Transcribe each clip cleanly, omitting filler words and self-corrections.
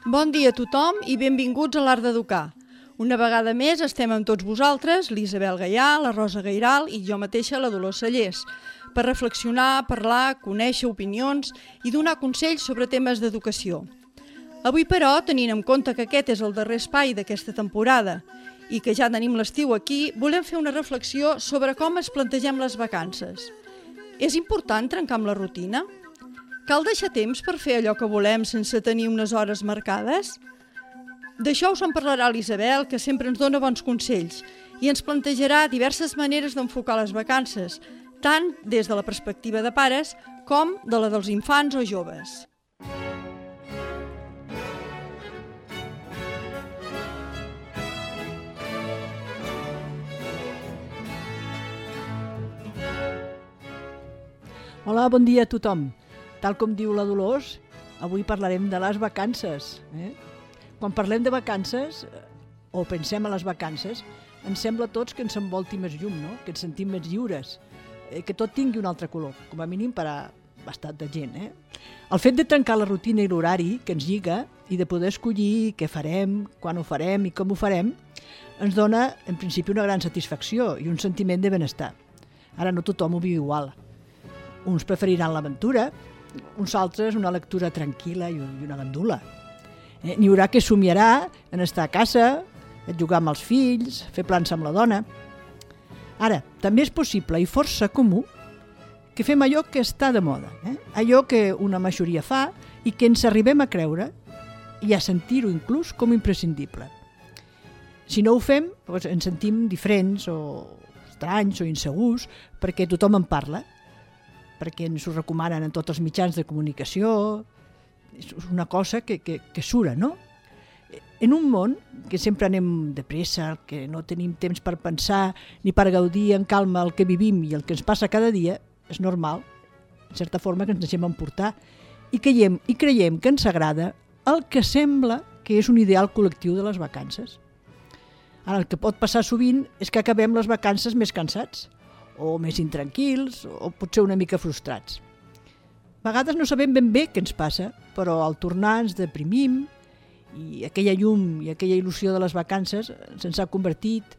Bon dia a tothom i benvinguts a l'Art d'Educar. Una vegada més estem amb tots vosaltres, l'Isabel Gaià, la Rosa Gairal i jo mateixa, la Dolors Cellers, per reflexionar, parlar, conèixer opinions i donar consells sobre temes d'educació. Avui, però, tenint en compte que aquest és el darrer espai d'aquesta temporada i que ja tenim l'estiu aquí, volem fer una reflexió sobre com es plantegem les vacances. És important trencar amb la rutina? Cal deixar temps per fer allò que volem sense tenir unes hores marcades? D'això us en parlarà l'Isabel, que sempre ens dona bons consells, i ens plantejarà diverses maneres d'enfocar les vacances, tant des de la perspectiva de pares com de la dels infants o joves. Hola, bon dia a tothom. Tal com diu la Dolors, avui parlarem de les vacances. Quan parlem de vacances, o pensem a les vacances, ens sembla a tots que ens envolti més llum, no? Que ens sentim més lliures, que tot tingui un altre color, com a mínim per a bastant de gent. El fet de trencar la rutina i l'horari que ens lliga i de poder escollir què farem, quan ho farem i com ho farem, ens dona, en principi, una gran satisfacció i un sentiment de benestar. Ara no tothom ho viu igual. Uns preferiran l'aventura, uns altres una lectura tranquil·la i una gandula. N'hi haurà que somiarà en estar a casa, jugar amb els fills, fer plans amb la dona. Ara, també és possible i força comú que fem allò que està de moda, allò que una majoria fa i que ens arribem a creure i a sentir-ho inclús com imprescindible. Si no ho fem, doncs ens sentim diferents o estranys o insegurs perquè tothom en parla, perquè ens ho recomanen en tots els mitjans de comunicació. És una cosa que sura, no? En un món que sempre anem de pressa, que no tenim temps per pensar ni per gaudir en calma el que vivim i el que ens passa cada dia, és normal, en certa forma, que ens deixem emportar i creiem que ens agrada el que sembla que és un ideal col·lectiu de les vacances. Ara, el que pot passar sovint és que acabem les vacances més cansats, o més intranquils, o potser una mica frustrats. A vegades no sabem ben bé què ens passa, però al tornar ens deprimim i aquella llum i aquella il·lusió de les vacances se'ns ha convertit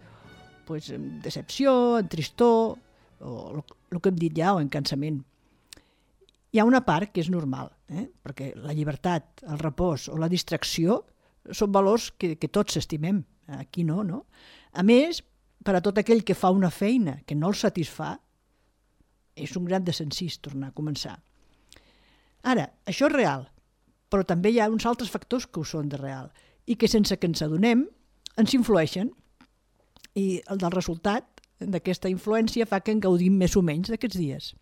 en decepció, en tristor, o el que hem dit ja, o en cansament. Hi ha una part que és normal, perquè la llibertat, el repòs o la distracció són valors que tots estimem. Aquí no? A més, per a tot aquell que fa una feina que no el satisfà, és un gran desencís tornar a començar. Ara, això és real, però també hi ha uns altres factors que ho són de real i que sense que ens adonem ens influeixen, i el del resultat d'aquesta influència fa que en gaudim més o menys d'aquests dies.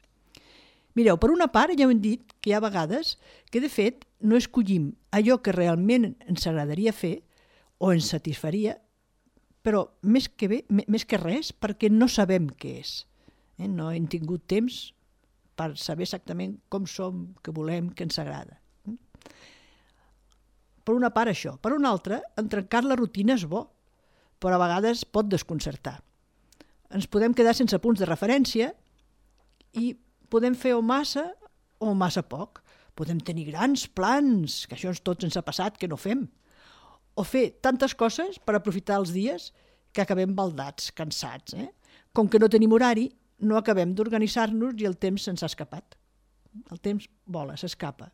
Mireu, per una part ja hem dit que hi ha vegades que de fet no escollim allò que realment ens agradaria fer o ens satisfaria, però més que res perquè no sabem què és. No hem tingut temps per saber exactament com som, què volem, què ens agrada. Per una part això. Per una altra, trencar la rutina és bo, però a vegades pot desconcertar. Ens podem quedar sense punts de referència i podem fer o massa poc. Podem tenir grans plans, que això tots ens ha passat, que no fem. O fer tantes coses per aprofitar els dies que acabem baldats, cansats. Com que no tenim horari, no acabem d'organitzar-nos i el temps se'ns ha escapat. El temps vola, s'escapa.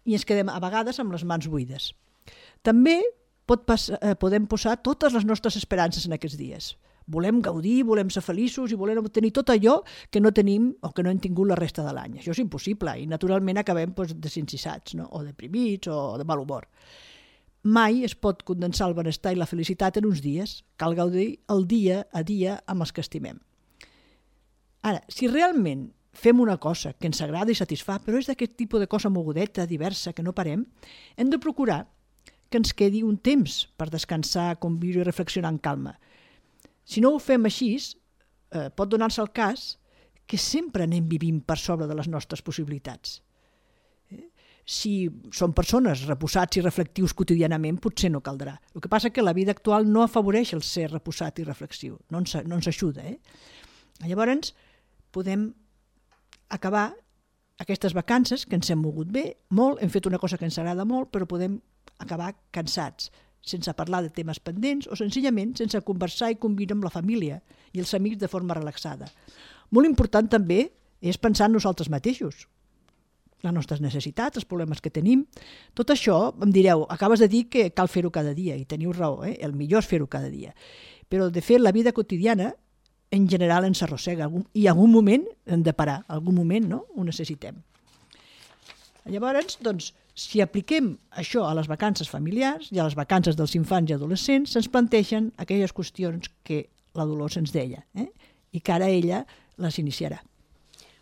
I ens quedem a vegades amb les mans buides. També podem posar totes les nostres esperances en aquests dies. Volem gaudir, volem ser feliços i volem obtenir tot allò que no tenim o que no hem tingut la resta de l'any. Això és impossible i naturalment acabem desencissats, o deprimits o de mal humor. Mai es pot condensar el benestar i la felicitat en uns dies. Cal gaudir el dia a dia amb els que estimem. Ara, si realment fem una cosa que ens agrada i satisfà, però és d'aquest tipus de cosa mogudeta, diversa, que no parem, hem de procurar que ens quedi un temps per descansar, conviure i reflexionar en calma. Si no ho fem així, pot donar-se el cas que sempre anem vivint per sobre de les nostres possibilitats. Si són persones reposats i reflectius quotidianament, potser no caldrà. El que passa és que la vida actual no afavoreix el ser reposat i reflexiu, no ens ajuda. Llavors, podem acabar aquestes vacances, que ens hem mogut bé, molt, hem fet una cosa que ens agrada molt, però podem acabar cansats, sense parlar de temes pendents o senzillament sense conversar i conviure amb la família i els amics de forma relaxada. Molt important també és pensar en nosaltres mateixos, les nostres necessitats, els problemes que tenim. Tot això, em direu, acabes de dir que cal fer-ho cada dia, i teniu raó, el millor és fer-ho cada dia. Però, de fet, la vida quotidiana, en general, ens arrossega, i en algun moment hem de parar, en algun moment no? Ho necessitem. Llavors, doncs, si apliquem això a les vacances familiars i a les vacances dels infants i adolescents, se'ns plantegen aquelles qüestions que la Dolors ens deia, i que ara ella les iniciarà.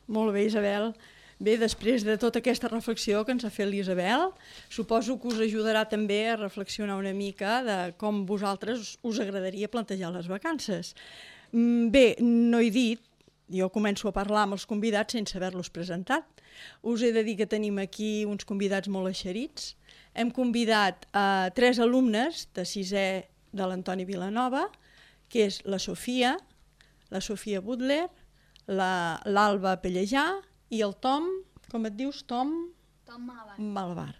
Molt bé, Isabel. Bé, després de tota aquesta reflexió que ens ha fet l'Isabel, suposo que us ajudarà també a reflexionar una mica de com vosaltres us agradaria plantejar les vacances. Bé, no he dit, jo començo a parlar amb els convidats sense haver-los presentat. Us he de dir que tenim aquí uns convidats molt eixerits. Hem convidat a 3 alumnes de 6è de l'Antoni Vilanova, que és la Sofia Butler, l'Alba Pellejà i el Tom, com et dius, Tom? Tom Malvar.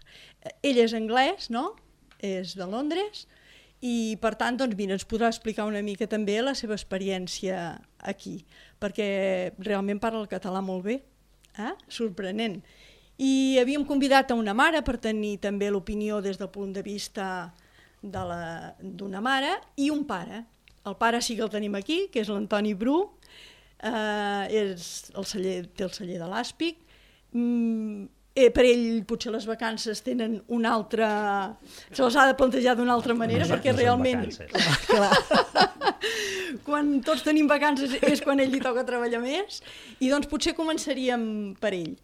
Ell és anglès, no? És de Londres i, per tant, doncs, mira, ens podrà explicar una mica també la seva experiència aquí, perquè realment parla el català molt bé, sorprenent. I havíem convidat a una mare per tenir també l'opinió des del punt de vista d'una mare i un pare. El pare sí que el tenim aquí, que és l'Antoni Bru, té el celler de l'Àspic. Per ell potser les vacances tenen una altra... se les ha de plantejar d'una altra manera, perquè realment... Quan tots tenim vacances és quan ell li toca treballar més, i doncs potser començaríem per ell.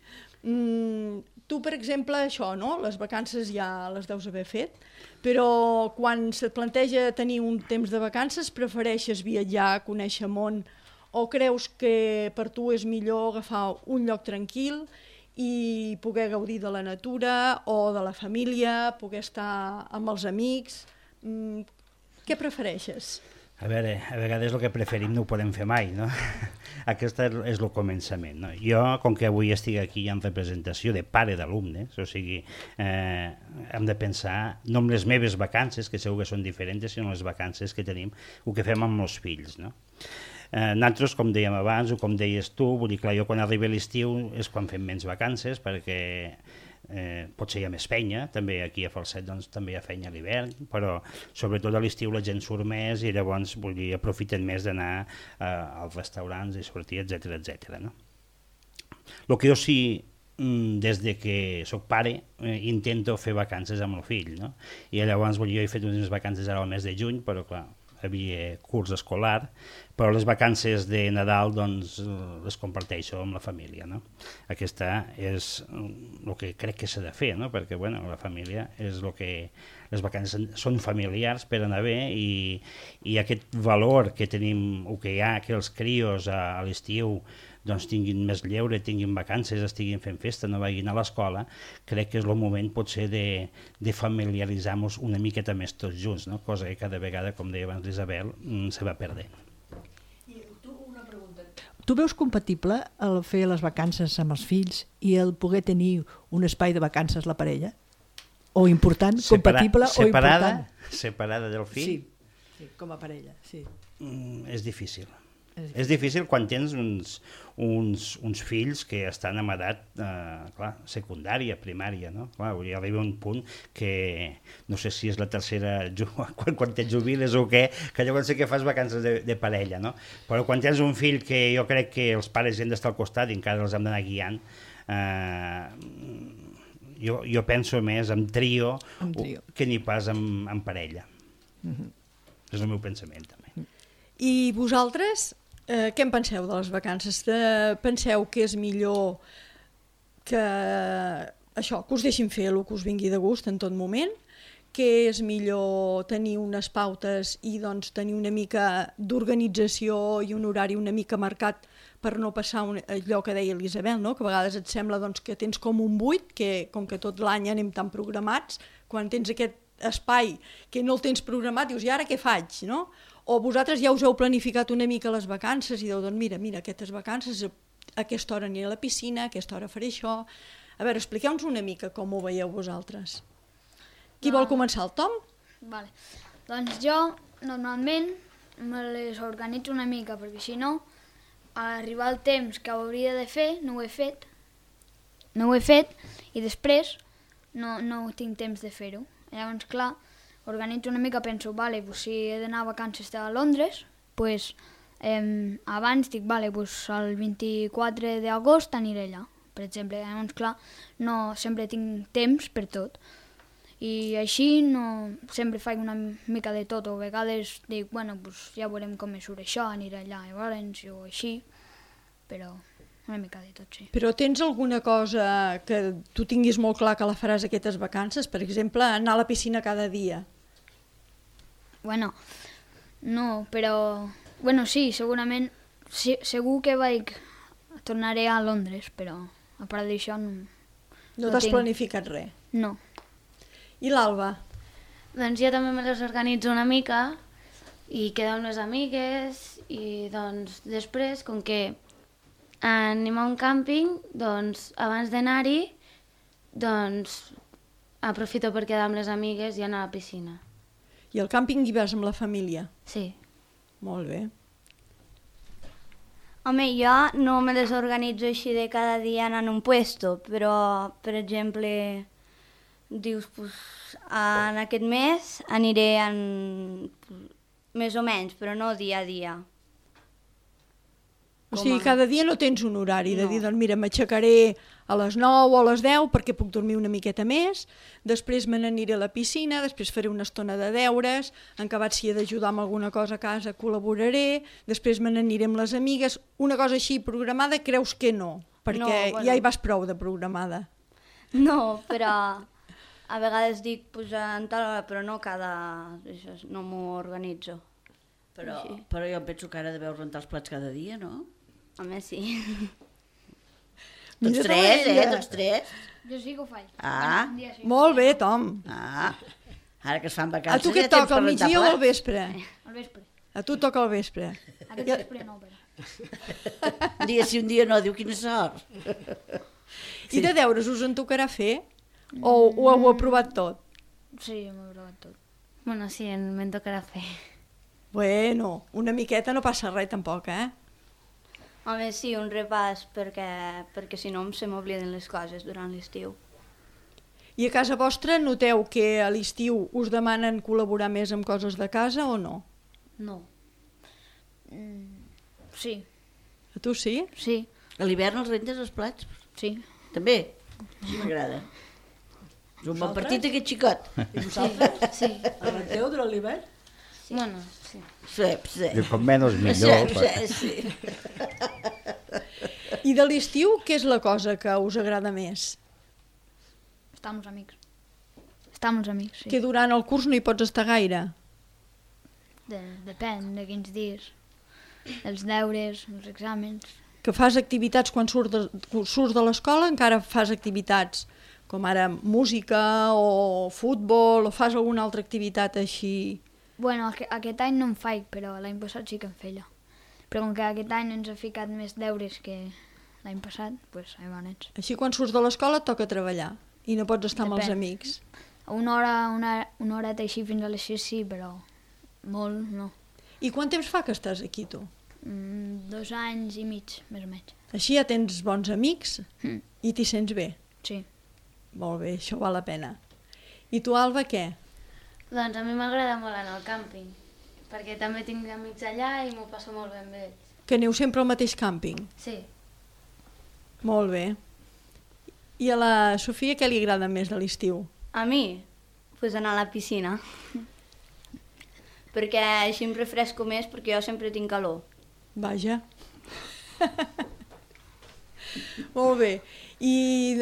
Tu, per exemple, això, no? Les vacances ja les deus haver fet, però quan se't planteja tenir un temps de vacances, prefereixes viatjar, conèixer món, o creus que per tu és millor agafar un lloc tranquil i poder gaudir de la natura o de la família, poder estar amb els amics? Què prefereixes? A veure, a vegades el que preferim no ho podem fer mai, no? Aquest és el començament, no? Jo, com que avui estic aquí en representació de pare d'alumnes, o sigui, hem de pensar no en les meves vacances, que segur que són diferents, sinó en les vacances que tenim, el que fem amb els fills, no? Nosaltres, com dèiem abans, o com deies tu, vull dir, clar, jo quan arriba l'estiu és quan fem menys vacances, perquè potser hi ha més feina, també aquí a Falset doncs, també hi ha feina a l'hivern, però sobretot a l'estiu la gent surt més i llavors vull dir, aprofiten més d'anar als restaurants i sortir, etc. No? El que jo sí, des de que soc pare, intento fer vacances amb el fill, no? I llavors vull dir, jo he fet unes vacances ara al mes de juny, però clar, havia curs escolar, però les vacances de Nadal doncs, les comparteixo amb la família. No? Aquesta és el que crec que s'ha de fer, no? Perquè bueno, la família és el que... Les vacances són familiars per anar bé i aquest valor que tenim, o que hi ha, que els crios a l'estiu doncs tinguin més lleure, tinguin vacances, estiguin fent festa, no vagin a l'escola, crec que és el moment potser de familiaritzar-nos una miqueta més tots junts, no? Cosa que cada vegada, com deia abans l'Isabel, se va perdent. I tu, una pregunta. Tu veus compatible el fer les vacances amb els fills i el poder tenir un espai de vacances la parella? O important, compatible o important? Separada del fill? Sí, com a parella, sí. És difícil. És difícil quan tens uns fills que estan en edat secundària, primària, no? Clar, arriba un punt que no sé si és la tercera quan et jubiles o què, que llavors sí que fas vacances de parella, no? Però quan tens un fill que jo crec que els pares hem d'estar al costat i encara els hem d'anar guiant, jo penso més en trio que ni pas en parella. És el meu pensament també. I vosaltres, què en penseu de les vacances? Penseu que és millor que això, que us deixin fer el que us vingui de gust en tot moment, que és millor tenir unes pautes i doncs tenir una mica d'organització i un horari una mica marcat per no passar allò que deia l'Isabel, no? Que a vegades et sembla doncs, que tens com un buit, que com que tot l'any anem tan programats, quan tens aquest espai que no el tens programat, dius, i ara què faig? No? O vosaltres ja us heu planificat una mica les vacances i dieu, doncs mira, aquestes vacances, a aquesta hora aniré a la piscina, a aquesta hora faré això. A veure, expliqueu-nos una mica com ho veieu vosaltres. Qui vol començar, el Tom? Vale. Doncs jo, normalment, me les organitzo una mica, perquè si no, a arribar el temps que hauria de fer, no ho he fet, i després no tinc temps de fer-ho. Llavors, clar, organitzo una mica, penso, vale, pues, si he d'anar a vacances a Londres, pues, abans dic, vale, pues, el 24 d'agost aniré allà, per exemple. Llavors, clar, no sempre tinc temps per tot. I així sempre faig una mica de tot, o a vegades dic, bueno, pues, ja veurem com me surt això, aniré allà llavors, o així, però una mica de tot, sí. Però tens alguna cosa que tu tinguis molt clar que la faràs aquestes vacances? Per exemple, anar a la piscina cada dia. Bueno, no, però... Bueno, sí, segurament, segur que tornaré a Londres, però a part d'això no... No t'has planificat res? No. I l'Alba? Doncs jo també me les organitzo una mica i quedo amb les amigues i doncs després, com que anem a un càmping, doncs abans d'anar-hi, doncs aprofito per quedar amb les amigues i anar a la piscina. I al càmping hi vas amb la família? Sí. Molt bé. Home, jo no me les organitzo així de cada dia anant a un puesto, però, per exemple, dius, pues, en aquest mes aniré més o menys, però no dia a dia. O sigui, cada dia no tens un horari de dir, doncs mira, m'aixecaré a les 9 o a les 10 perquè puc dormir una miqueta més, després me n'aniré a la piscina, després faré una estona de deures, en acabat si he d'ajudar amb alguna cosa a casa col·laboraré, després me n'aniré amb les amigues, una cosa així programada creus que no, perquè ja hi vas prou de programada. No, però a vegades dic en tal hora, però no no m'ho organitzo. Però jo penso que ara deveu rentar els plats cada dia, no? Home, sí. Tots tres, Tots tres. Jo sí que ho faig. Ah, Sí. Molt bé, Tom. Ara que es fan A vacances tu què et toca, al migdia o al vespre? Al vespre. A tu et toca al vespre. Aquest vespre no, però... Un dia sí, un dia no, diu quina sort. I de deures us en tocarà fer? O ho heu aprovat tot? Sí, m'ho he provat tot. Bueno, sí, me'n tocarà fer. Bueno, una miqueta no passa res tampoc, eh? Home, sí, un repàs, perquè si no se m'obliden les coses durant l'estiu. I a casa vostra noteu que a l'estiu us demanen col·laborar més amb coses de casa o no? No. Sí. A tu sí? Sí. A l'hivern els rentes els plats? Sí. També? Sí, m'agrada. És un bon partit aquest xicot. I vosaltres? Sí. El renteu durant l'hivern? Sí. Bueno, sí. Sí. I com menys millor. Sí. I de l'estiu, què és la cosa que us agrada més? Estar amb els amics. Estar amb els amics, sí. Que durant el curs no hi pots estar gaire? Depèn de quins dies. Els deures, els exàmens... Que fas activitats quan surts de l'escola, encara fas activitats com ara música o futbol, o fas alguna altra activitat així? Bueno, aquest any no en faig, però l'any passat sí que en feia. Però com que aquest any ens ha ficat més deures que l'any passat, doncs ahí van ets. Així quan surts de l'escola et toca treballar i no pots estar amb els amics. Una horeta així fins a les 6 sí, però molt no. I quant temps fa que estàs aquí, tu? 2 anys i mig, més o menys. Així ja tens bons amics i t'hi sents bé? Sí. Molt bé, això val la pena. I tu, Alba, què? Doncs a mi m'agrada molt anar al càmping, perquè també tinc amics allà i m'ho passo molt bé amb ells. Que aneu sempre al mateix càmping? Sí. Molt bé. I a la Sofia què li agrada més de l'estiu? A mi? Pues anar a la piscina. Perquè així em refresco més, perquè jo sempre tinc calor. Vaja. Molt bé. I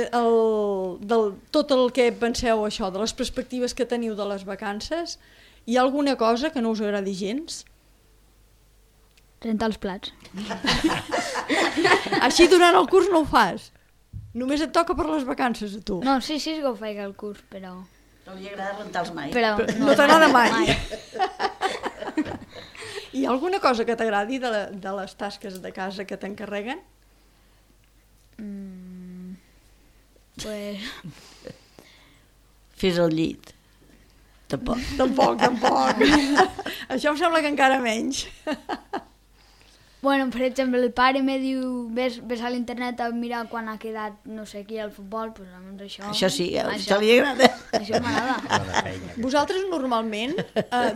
tot el que penseu això, de les perspectives que teniu de les vacances, hi ha alguna cosa que no us agradi gens? Rentar els plats. Així durant el curs no ho fas? Només et toca per les vacances a tu? No, sí que ho faig al curs, però... No li agrada rentar els mai. Però No t'agrada mai? Hi ha alguna cosa que t'agradi de les tasques de casa que t'encarreguen? Pues... Fes el llit. Tampoc. Tampoc. Això em sembla que encara menys. Bueno, per exemple, el pare me diu ves a l'internet a mirar quan ha quedat no sé qui al futbol, doncs llavors això... Això sí, això li agrada. Això m'agrada. Vosaltres normalment,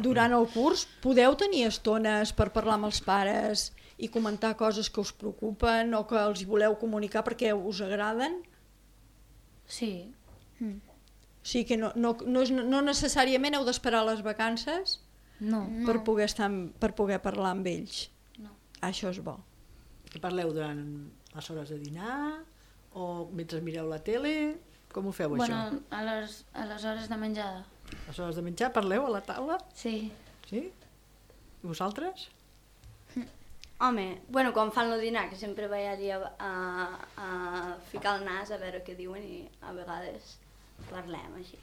durant el curs, podeu tenir estones per parlar amb els pares i comentar coses que us preocupen o que els voleu comunicar perquè us agraden? Sí. Sí que no necessàriament heu d'esperar les vacances No. per poder parlar amb ells. No. Això és bo. Que parleu durant les hores de dinar o mentre mireu la tele? Com ho feu, això? Bueno, a les hores de menjada. A les hores de menjar parleu a la taula? Sí. Sí? I vosaltres? Home, bueno, quan fan el dinar, que sempre vaig allà a ficar el nas a veure què diuen i a vegades parlem així.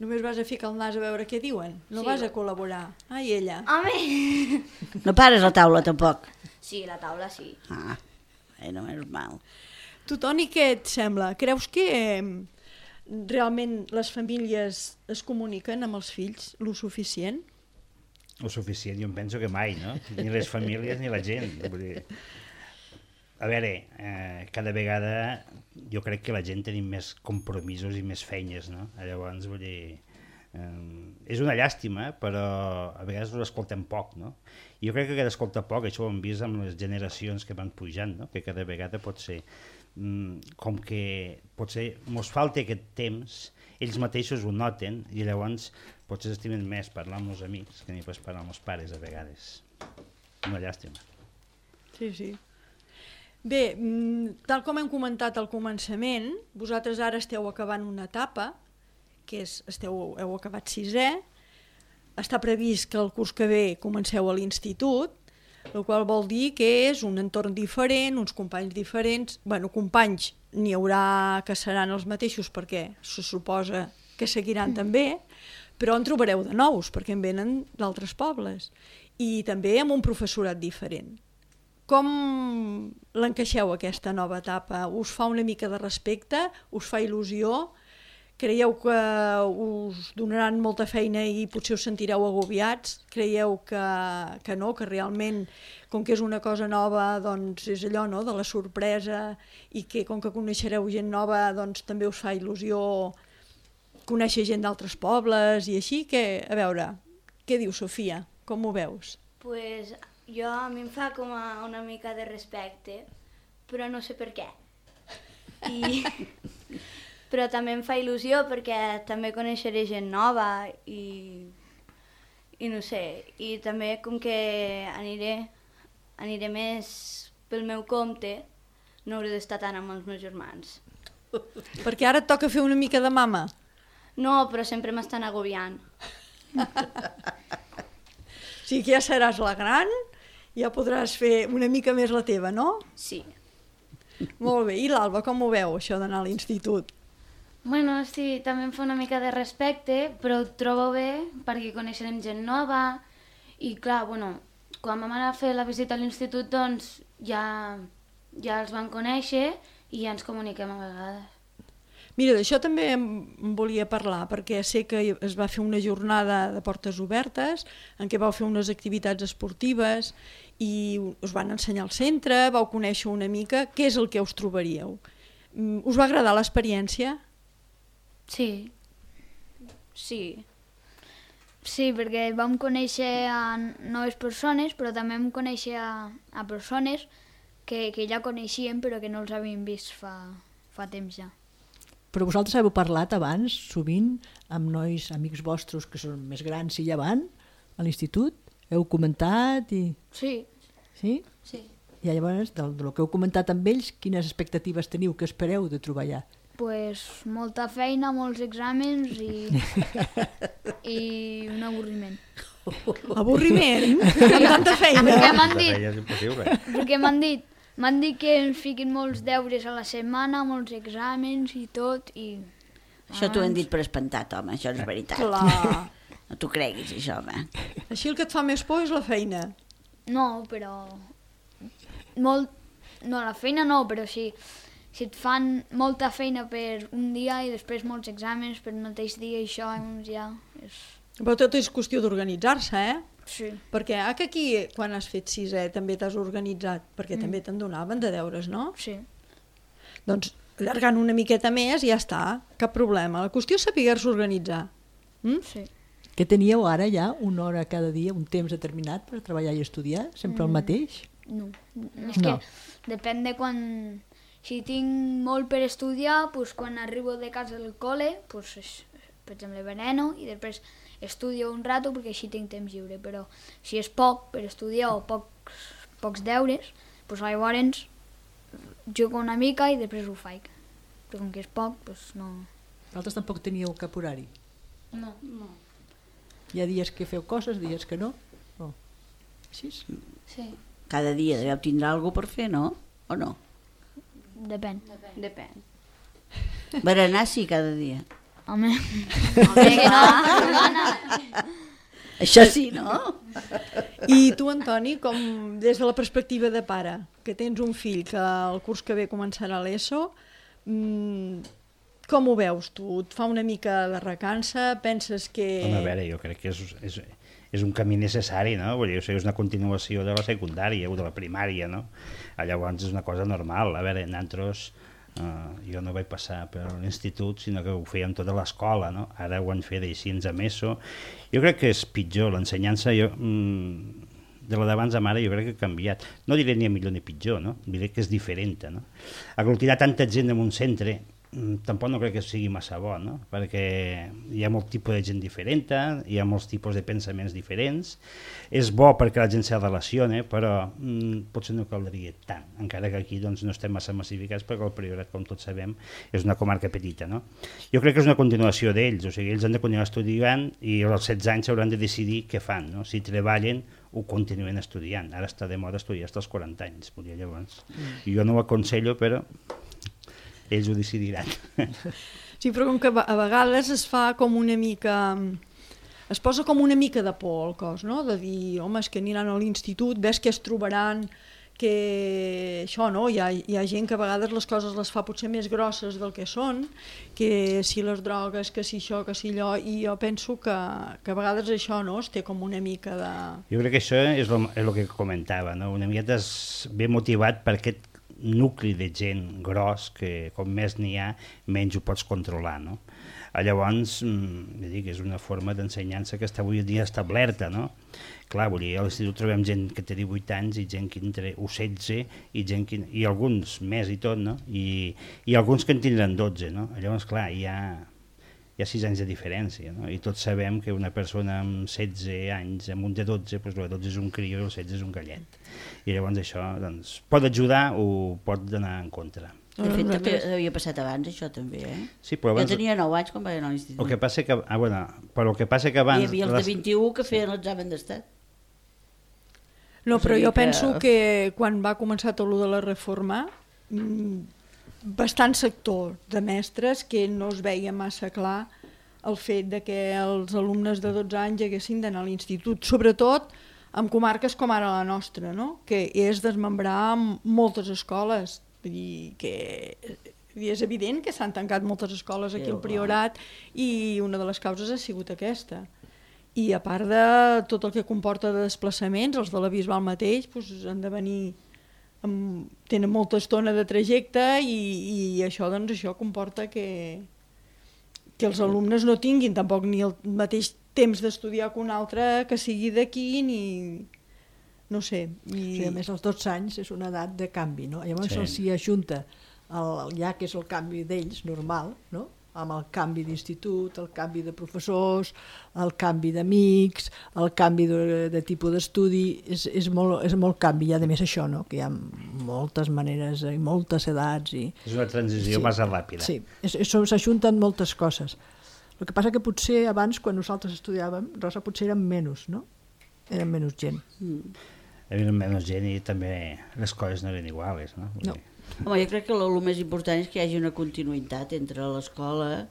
Només vas a ficar el nas a veure què diuen? No Sí. vas a col·laborar? Ai, ella. Home! No pares la taula, tampoc. Sí, la taula sí. Ah, no és mal. Tu, Toni, què et sembla? Creus que realment les famílies es comuniquen amb els fills lo suficient? O suficient, jo em penso que mai, no? Ni les famílies ni la gent. Vull dir, a veure, cada vegada jo crec que la gent tenim més compromisos i més feines, no? Llavors, vull dir, és una llàstima, però a vegades ho escoltem poc, no? I jo crec que escolta poc, això ho hem vist amb les generacions que van pujant, no? Que cada vegada pot ser, com que potser mos falta aquest temps, ells mateixos ho noten i llavors potser s'estimen més parlar amb els amics que ni pas parlar amb els pares a vegades. Una llàstima. Sí, sí. Bé, tal com hem comentat al començament, vosaltres ara esteu acabant una etapa, que heu acabat 6è, està previst que el curs que ve comenceu a l'institut, el qual vol dir que és un entorn diferent, uns companys diferents. Bueno, companys n'hi haurà que seran els mateixos perquè se suposa que seguiran també, però en trobareu de nous perquè en venen d'altres pobles i també amb un professorat diferent. Com l'encaixeu aquesta nova etapa? Us fa una mica de respecte? Us fa il·lusió? Creieu que us donaran molta feina i potser us sentireu agobiats? Creieu que no, que realment, com que és una cosa nova, doncs és allò, no?, de la sorpresa i que com que coneixereu gent nova, doncs també us fa il·lusió conèixer gent d'altres pobles i així? Que, a veure, què diu Sofia? Com ho veus? Pues a mi em fa com una mica de respecte, però no sé per què. Però també em fa il·lusió perquè també coneixeré gent nova i no sé, i també com que aniré més pel meu compte, no hauré d'estar tant amb els meus germans. Perquè ara et toca fer una mica de mama. No, però sempre m'estan agobiant. O sigui que ja seràs la gran, ja podràs fer una mica més la teva, no? Sí. Molt bé. I l'Alba, com ho veu, això d'anar a l'institut? Bueno, sí, també em fa una mica de respecte, però ho trobo bé perquè coneixerem gent nova i clar, bueno, quan vam anar a fer la visita a l'institut doncs ja els vam conèixer i ja ens comuniquem a vegades. Mira, d'això també em volia parlar, perquè sé que es va fer una jornada de portes obertes en què vau fer unes activitats esportives i us van ensenyar al centre, vau conèixer una mica què és el que us trobaríeu. Us va agradar l'experiència? Sí. Sí. Sí, perquè vam conèixer a noves persones, però també vam conèixer a persones que ja coneixíem però que no els havíem vist fa temps ja. Però vosaltres heu parlat abans, sovint, amb nois, amics vostres que són més grans i ja van a l'institut? Heu comentat i... Sí. Sí? Sí. I llavors, del que heu comentat amb ells, quines expectatives teniu, que espereu de trobar allà? Pues molta feina, molts exàmens i un avorriment. Avorriment? Amb tanta feina? Perquè m'han De dit, feina és impossible. perquè m'han dit que ens fiquin molts deures a la setmana, molts exàmens i tot, i... Això t'ho hem dit per espantat, home, això és veritat. Clar. No t'ho creguis, això, home. Així el que et fa més por és la feina. No, però... No, la feina no, però sí. Si et fan molta feina per un dia i després molts exàmens per un mateix dia, això doncs ja és... Però tot és qüestió d'organitzar-se, eh? Sí. Perquè que aquí, quan has fet sisè, també t'has organitzat, perquè també te'n donaven de deures, no? Sí. Doncs allargant una miqueta més i ja està, cap problema. La qüestió és saber-se organitzar. Sí. Que teníeu ara ja una hora cada dia, un temps determinat per treballar i estudiar? Sempre el mateix? No. És que depèn de quan... Si tinc molt per estudiar, doncs quan arribo de casa del col·le, doncs, per exemple, veneno i després estudio un rato perquè així tinc temps lliure. Però si és poc per estudiar o pocs deures, doncs llavors jugo una mica i després ho faig. Però com que és poc, doncs no... Vosaltres tampoc teníeu cap horari? No. Hi ha dies que feu coses, dies que no? No. Així? Sí. Cada dia deveu tindre alguna per fer, no? O no? Depèn. Depèn. Berenar sí, cada dia. Home, que no, Això sí, no? I tu, Antoni, com des de la perspectiva de pare, que tens un fill que el curs que ve començarà l'ESO, com ho veus tu? Et fa una mica de recança? Penses que... Home, a veure, jo crec que és un camí necessari, no? Vull dir, o sigui, és una continuació de la secundària o de la primària, no? Llavors és una cosa normal. A veure, nosaltres, jo no vaig passar per l'institut, sinó que ho fèiem tota l'escola, no? Ara ho han fet així a ESO. Jo crec que és pitjor, l'ensenyança, de la d'abans a mare jo crec que ha canviat. No diré ni a millor ni pitjor, no? Diré que és diferent, no? Aglutinar tanta gent en un centre tampoc no crec que sigui massa bo, no? Perquè hi ha molt tipus de gent diferent, hi ha molts tipus de pensaments diferents, és bo perquè la gent se relaciona, però potser no caldria tant, encara que aquí doncs, no estem massa massificats perquè el Priorat, com tots sabem, és una comarca petita, no? Jo crec que és una continuació d'ells, o sigui, ells han de continuar estudiant i als 16 anys hauran de decidir què fan, no? Si treballen o continuen estudiant. Ara està de moda estudiar fins als 40 anys, volia llavors. Jo no ho aconsello, però ells ho decidiran. Sí, però com que a vegades es fa com una mica... Es posa com una mica de por al cos, no? De dir, home, és que aniran a l'institut, ves que es trobaran, que això, no? Hi ha gent que a vegades les coses les fa potser més grosses del que són, que si les drogues, que si això, que si allò, i jo penso que a vegades això, no?, es té com una mica de... Jo crec que això és el que comentava, no? Una miqueta ve motivat per aquest nucli de gent gros que com més n'hi ha, menys ho pots controlar, no? Llavors, és una forma d'ensenyança que està avui dia establerta, no? Clar, vull dir, a l'institut trobem gent que té 18 anys i gent que entre 16 i alguns més i tot, no? I alguns que en tindran 12, no? Llavors, clar, hi ha 6 anys de diferència, no? I tots sabem que una persona amb 16 anys, amb un de 12, doncs el 12 és un crió i el 16 és un gallet. I llavors això doncs, pot ajudar o pot anar en contra. De fet, també havia passat abans, això també, eh? Sí, però abans... Jo tenia 9 anys quan vaig anar a l'institut. El que passa que... però el que passa que abans... Hi havia els de 21 que feien l'examen d'estat. No, però jo penso que quan va començar tot de la reforma, bastant sector de mestres que no es veia massa clar el fet de que els alumnes de 12 anys haguessin d'anar a l'institut, sobretot en comarques com ara la nostra, no? Que és desmembrar moltes escoles. Vull dir que és evident que s'han tancat moltes escoles aquí al Priorat i una de les causes ha sigut aquesta. I a part de tot el que comporta de desplaçaments, els de la Bisbal mateix han de venir, tenen molta estona de trajecte i això comporta que els alumnes no tinguin tampoc ni el mateix temps d'estudiar que un altre que sigui d'aquí ni... no sé. Sí, a més, els 12 anys és una edat de canvi, no? Llavors Sí. s'hi ajunta ja que és el canvi d'ells normal, no? amb el canvi d'institut, el canvi de professors, el canvi d'amics, el canvi de tipus d'estudi, és molt canvi, i a més això, no? Que hi ha moltes maneres i moltes edats. És una transició massa ràpida. Sí, s'ajunten moltes coses. El que passa que potser abans, quan nosaltres estudiàvem, Rosa, potser érem menys, no? Érem menys gent. Eren menys gent i també les coses no eren iguals, no? No. Home, jo crec que el més important és que hi hagi una continuïtat entre l'escola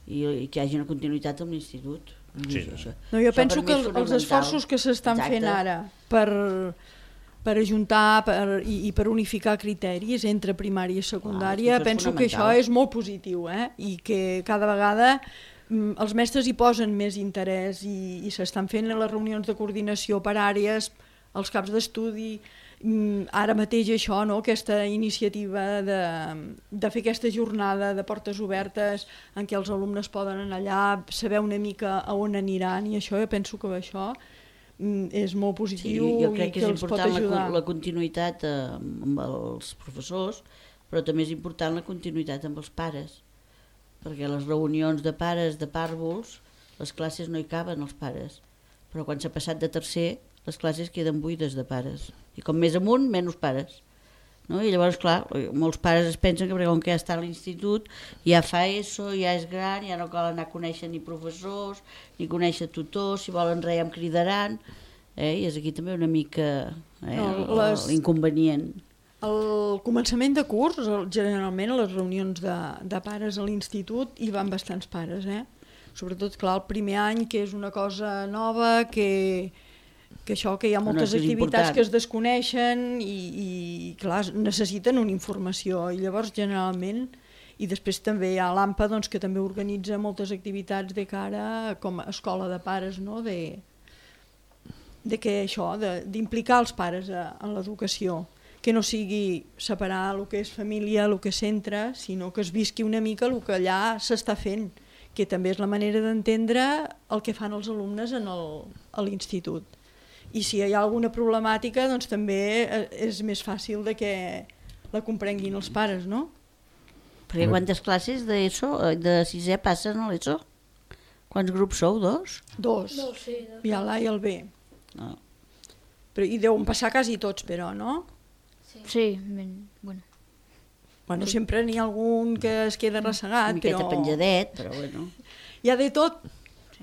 i que hi hagi una continuïtat amb l'institut. Sí. No, jo penso que els esforços que s'estan fent ara per ajuntar i per unificar criteris entre primària i secundària, penso que això és molt positiu, i que cada vegada els mestres hi posen més interès i s'estan fent les reunions de coordinació per àrees, els caps d'estudi. Ara mateix això, no? Aquesta iniciativa de fer aquesta jornada de portes obertes en què els alumnes poden anar allà, saber una mica a on aniran, i això, jo penso que això és molt positiu, sí, jo crec i que els pot ajudar. És important la continuïtat amb els professors, però també és important la continuïtat amb els pares, perquè les reunions de pares de pàrvuls, les classes no hi caben els pares, però quan s'ha passat de tercer les classes queden buides de pares, i com més amunt, menys pares, no? I llavors, clar, molts pares es pensen que com que ja està a l'institut, ja fa ESO, ja és gran, ja no cal anar a conèixer ni professors, ni conèixer tutors, si volen res ja em cridaran, i és aquí també una mica l'inconvenient. Al començament de curs, generalment a les reunions de pares a l'institut hi van bastants pares, sobretot, clar, el primer any, que és una cosa nova, que hi ha moltes activitats que es desconeixen i clar, necessiten una informació, i llavors generalment, i després també hi ha l'AMPA, doncs, que també organitza moltes activitats de cara com a escola de pares, no? D'implicar els pares en l'educació, que no sigui separar el que és família, el que és centre, sinó que es visqui una mica el que allà s'està fent, que també és la manera d'entendre el que fan els alumnes a l'institut. I si hi ha alguna problemàtica, doncs també és més fàcil de que la comprenguin els pares, no? Perquè quantes classes de sisè passen a l'ESO? Quants grups sou? Dos? Dos. Sí, Hi ha l'A i el B. No. I deuen passar quasi tots, però, no? Sí, bueno. Bueno, sempre n'hi ha algun que es queda ressegat, Una miqueta penjadet, però bueno. Hi ha de tot.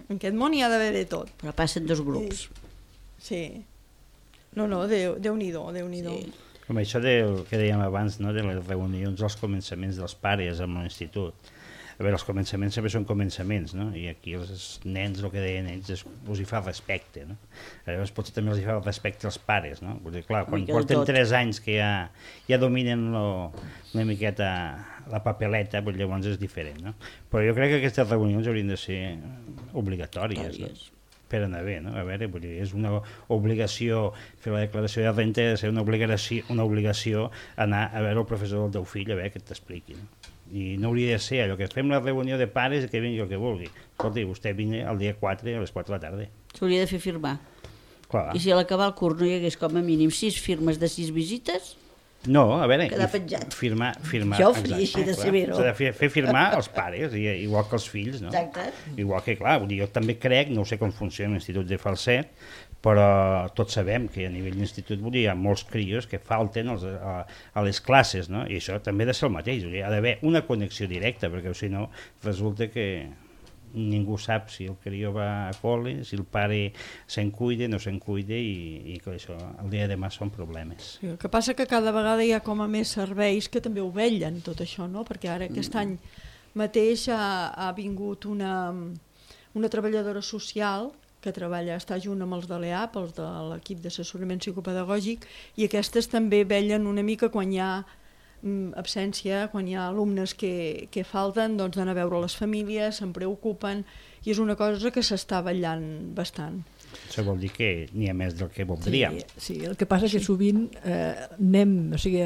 En aquest món hi ha d'haver de tot. Però passen dos grups. Sí. No, Déu-n'hi-do, Déu-n'hi-do. Sí. Com això del que dèiem abans, no? De les reunions als començaments dels pares amb l'institut. A veure, els començaments sempre són començaments, no? I aquí els nens, el que deien ells, us hi fa respecte, no? Llavors potser també els hi fa respecte als pares, no? Perquè, clar, quan porten 3 anys que ja dominen una miqueta la papeleta, doncs llavors és diferent, no? Però jo crec que aquestes reunions haurien de ser obligatòries, no? Per anar bé, no? A veure, vull dir, és una obligació fer la declaració de renta, ha de ser una obligació anar a veure el professor del teu fill, a veure què t'expliqui, no? I no hauria de ser allò que fem la reunió de pares i que vingui el que vulgui. Escolti, vostè vingui el dia 4 a les 4 de la tarda. S'hauria de fer firmar. Clar. I si a l'acabar el curs no hi hagués com a mínim 6 firmes de 6 visites, no, a veure, quedar penjat. Firmar, jo ho faria així de severo. S'ha de fer firmar els pares, igual que els fills, no? Exacte. Igual que, clar, jo també crec, no sé com funciona l'Institut de Falset, però tots sabem que a nivell d'institut hi ha molts crios que falten a les classes, no? I això també ha de ser el mateix, hi ha d'haver una connexió directa, perquè si no resulta que ningú sap si el crió va a col·le, si el pare se'n cuida, no se'n cuida, i que això el dia de demà són problemes. Sí, el que passa que cada vegada hi ha com a més serveis que també ho vetllen tot això, no? Perquè ara aquest any mateix ha vingut una treballadora social que està junt amb els de l'EAP, els de l'equip d'assessorament psicopedagògic, i aquestes també vetllen una mica quan hi ha absència, quan hi ha alumnes que falten, doncs d'anar a veure les famílies, se'n preocupen, i és una cosa que s'està vetllant bastant. Això vol dir que n'hi ha més del que voldríem. Sí, el que passa és que sovint anem, o sigui,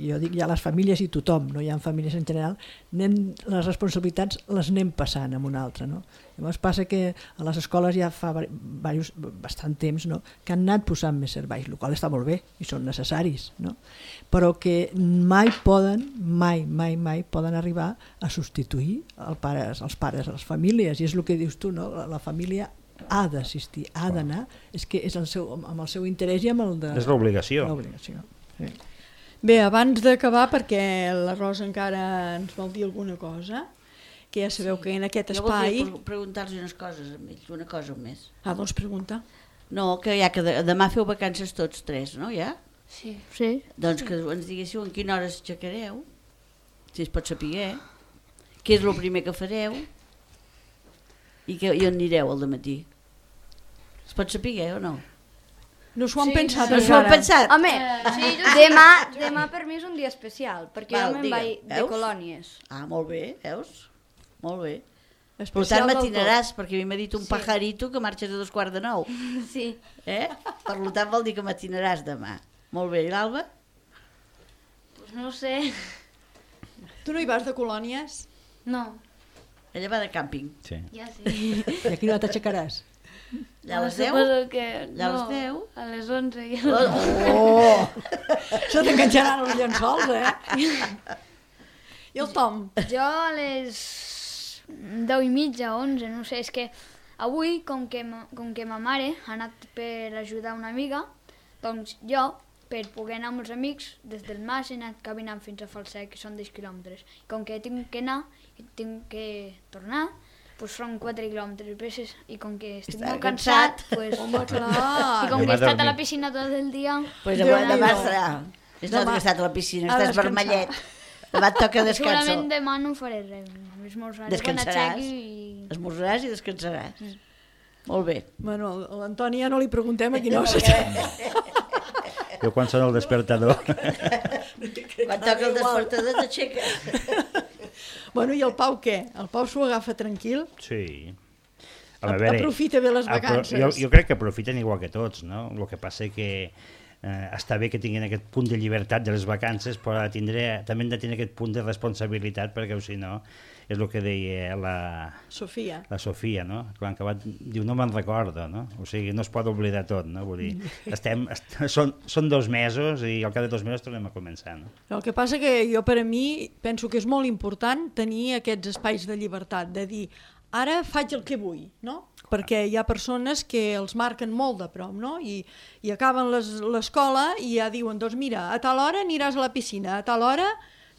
jo dic ja les famílies i tothom, no hi ha famílies en general, les responsabilitats les anem passant amb una altra, no? Llavors passa que a les escoles ja fa bastant temps, no?, que han anat posant més serveis, el qual està molt bé i són necessaris, no?, però que mai poden arribar a substituir els pares, les famílies, i és el que dius tu, no?, la família ha d'assistir, ha d'anar, és que és amb el seu interès i amb el de... És l'obligació. Sí. Bé, abans d'acabar, perquè la Rosa encara ens vol dir alguna cosa, que ja sabeu que en aquest espai... Jo voldria preguntar-los unes coses a ells, una cosa més. Doncs pregunta. No, que ja que demà feu vacances tots tres, no, ja? Sí. Doncs que ens diguéssiu en quina hora aixecareu, si es pot saber, què és el primer que fareu i on anireu al dematí. Es pot saber o no? No s'ho han pensat No s'ho han encara. pensat? Home, demà per mi és un dia especial, perquè jo me'n vaig de colònies. Ah, molt bé, veus? Molt bé. Per Especial tant, del matinaràs, perquè a mi m'ha dit un pajarito que marxes a 8:45. Sí. Per tant, vol dir que matinaràs demà. Molt bé, i l'Alba? Pues no ho sé. Tu no hi vas de colònies? No, Ella va de càmping. Sí. ja sí. I a quina hora t'aixecaràs? Ja a les 10? Suposo que Ja a les no, 10? a les 11. Ja. Oh! Això t'enganxaran els llençols, I el Tom? Jo a les 10:30, 11, no sé, és que avui, com que ma mare ha anat per ajudar una amiga, doncs jo, per poder anar amb els amics, des del mas he anat caminant fins a Falset, que són 10 quilòmetres. Com que tinc que anar i tinc que tornar, doncs són 4 quilòmetres. I com que estic Està molt cansat, Home, i clar. com que Demà he estat a la dormir. piscina tot el dia... Pues Déu-n'hi-do. demà estarà. És no que estat a la piscina, a estàs descansar. vermellet. Demà et toca descansar. Segurament demà no faré res. Esmorzaré quan Descansaràs. aixequi i... Esmorzaràs i descansaràs. Molt bé. Bueno, a l'Antoni ja no li preguntem a quina hora s'aixeca. Jo quan sona el despertador... Quan toca el despertador t'aixeques. Bueno, i el Pau què? El Pau s'ho agafa tranquil? Sí. Aprofita bé les vacances. Jo crec que aprofiten igual que tots, no? El que passa que està bé que tinguin aquest punt de llibertat de les vacances, però també han de tenir aquest punt de responsabilitat, perquè si no, és el que deia la Sofia, no? Quan acabat, diu, no me'n recordo, no? O sigui, no es pot oblidar tot, no? Vull dir, són 2 mesos i al cap de 2 mesos tornem a començar, no? El que passa que jo, per a mi, penso que és molt important tenir aquests espais de llibertat, de dir, ara faig el que vull, no? Perquè hi ha persones que els marquen molt de prop, no? I acaben l'escola i ja diuen, doncs mira, a tal hora aniràs a la piscina, a tal hora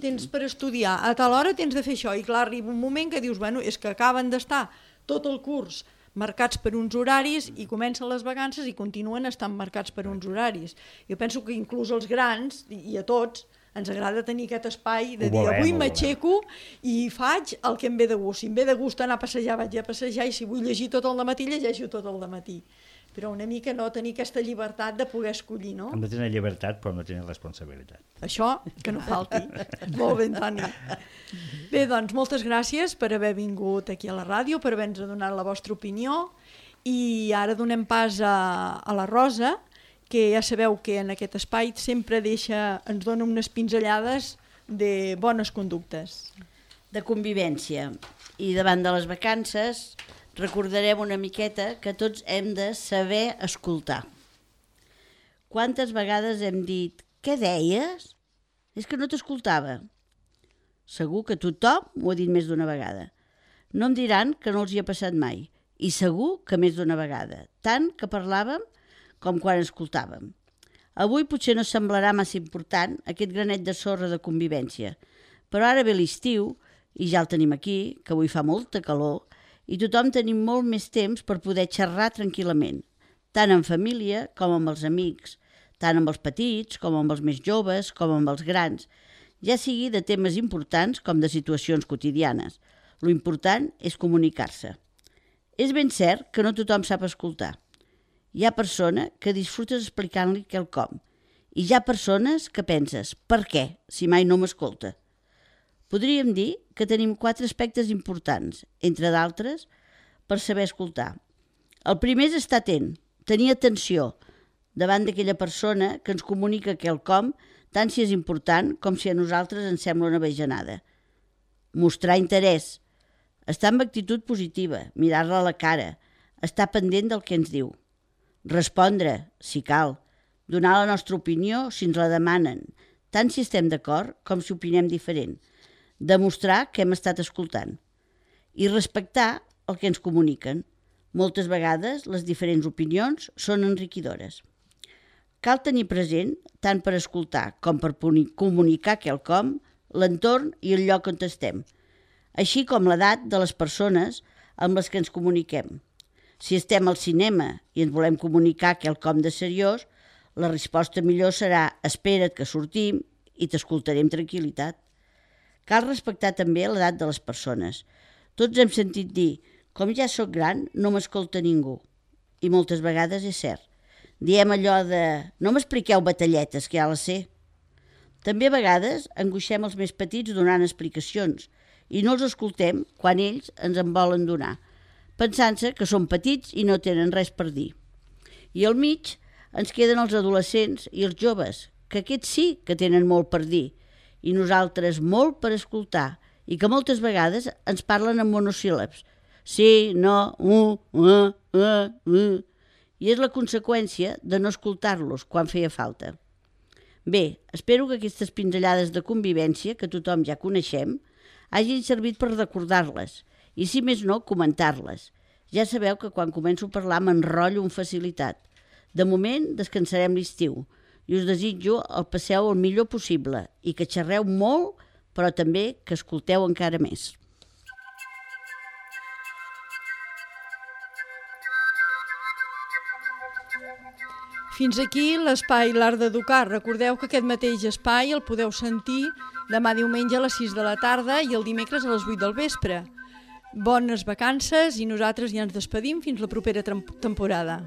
tens per estudiar, a tal hora tens de fer això. I clar, arriba un moment que dius, bueno, és que acaben d'estar tot el curs marcats per uns horaris i comencen les vacances i continuen estant marcats per uns horaris. Jo penso que inclús als grans, i a tots, ens agrada tenir aquest espai de dir, avui m'aixeco i faig el que em ve de gust. Si em ve de gust anar a passejar, vaig a passejar, i si vull llegir tot el dematí, llegeixo tot el dematí. Però una mica no tenir aquesta llibertat de poder escollir, no? Hem de tenir llibertat, però no tenir responsabilitat. Això, que no falti. Molt bé, Antoni. Bé, doncs, moltes gràcies per haver vingut aquí a la ràdio, per haver-nos donat la vostra opinió, i ara donem pas a la Rosa, que ja sabeu que en aquest espai sempre ens dona unes pinzellades de bones conductes. De convivència. I davant de les vacances recordarem una miqueta que tots hem de saber escoltar. Quantes vegades hem dit, què deies? És que no t'escoltava. Segur que tothom ho ha dit més d'una vegada. No em diran que no els hi ha passat mai. I segur que més d'una vegada. Tant que parlàvem com quan escoltàvem. Avui potser no semblarà massa important aquest granet de sorra de convivència, però ara ve l'estiu, i ja el tenim aquí, que avui fa molta calor, i tothom tenim molt més temps per poder xerrar tranquil·lament, tant en família com amb els amics, tant amb els petits com amb els més joves com amb els grans, ja sigui de temes importants com de situacions quotidianes. Lo important és comunicar-se. És ben cert que no tothom sap escoltar. Hi ha persona que disfrutes explicant-li quelcom i hi ha persones que penses, per què, si mai no m'escolta? Podríem dir que tenim 4 aspectes importants, entre d'altres, per saber escoltar. El primer és estar atent, tenir atenció davant d'aquella persona que ens comunica quelcom, tant si és important com si a nosaltres ens sembla una bajanada. Mostrar interès, estar amb actitud positiva, mirar-la a la cara, estar pendent del que ens diu. Respondre, si cal, donar la nostra opinió si ens la demanen, tant si estem d'acord com si opinem diferent. Demostrar que hem estat escoltant. I respectar el que ens comuniquen. Moltes vegades les diferents opinions són enriquidores. Cal tenir present, tant per escoltar com per comunicar quelcom, l'entorn i el lloc on estem, així com l'edat de les persones amb les que ens comuniquem. Si estem al cinema i ens volem comunicar quelcom de seriós, la resposta millor serà espera't que sortim i t'escoltaré amb tranquil·litat. Cal respectar també l'edat de les persones. Tots hem sentit dir, com ja sóc gran, no m'escolta ningú. I moltes vegades és cert. Diem allò de, no m'expliqueu batalletes, que ja les sé. També a vegades angoixem els més petits donant explicacions i no els escoltem quan ells ens en volen donar, pensant-se que són petits i no tenen res per dir. I al mig ens queden els adolescents i els joves, que aquests sí que tenen molt per dir, i nosaltres molt per escoltar, i que moltes vegades ens parlen en monosíl·labs. Sí, no, i és la conseqüència de no escoltar-los quan feia falta. Bé, espero que aquestes pinzellades de convivència, que tothom ja coneixem, hagin servit per recordar-les, i si més no, comentar-les. Ja sabeu que quan començo a parlar m'enrotllo amb facilitat. De moment descansarem l'estiu i us desitjo el passeu el millor possible i que xerreu molt, però també que escolteu encara més. Fins aquí l'espai L'Art d'Educar. Recordeu que aquest mateix espai el podeu sentir demà diumenge a les 6 de la tarda i el dimecres a les 8 del vespre. Bones vacances i nosaltres ja ens despedim fins la propera temporada.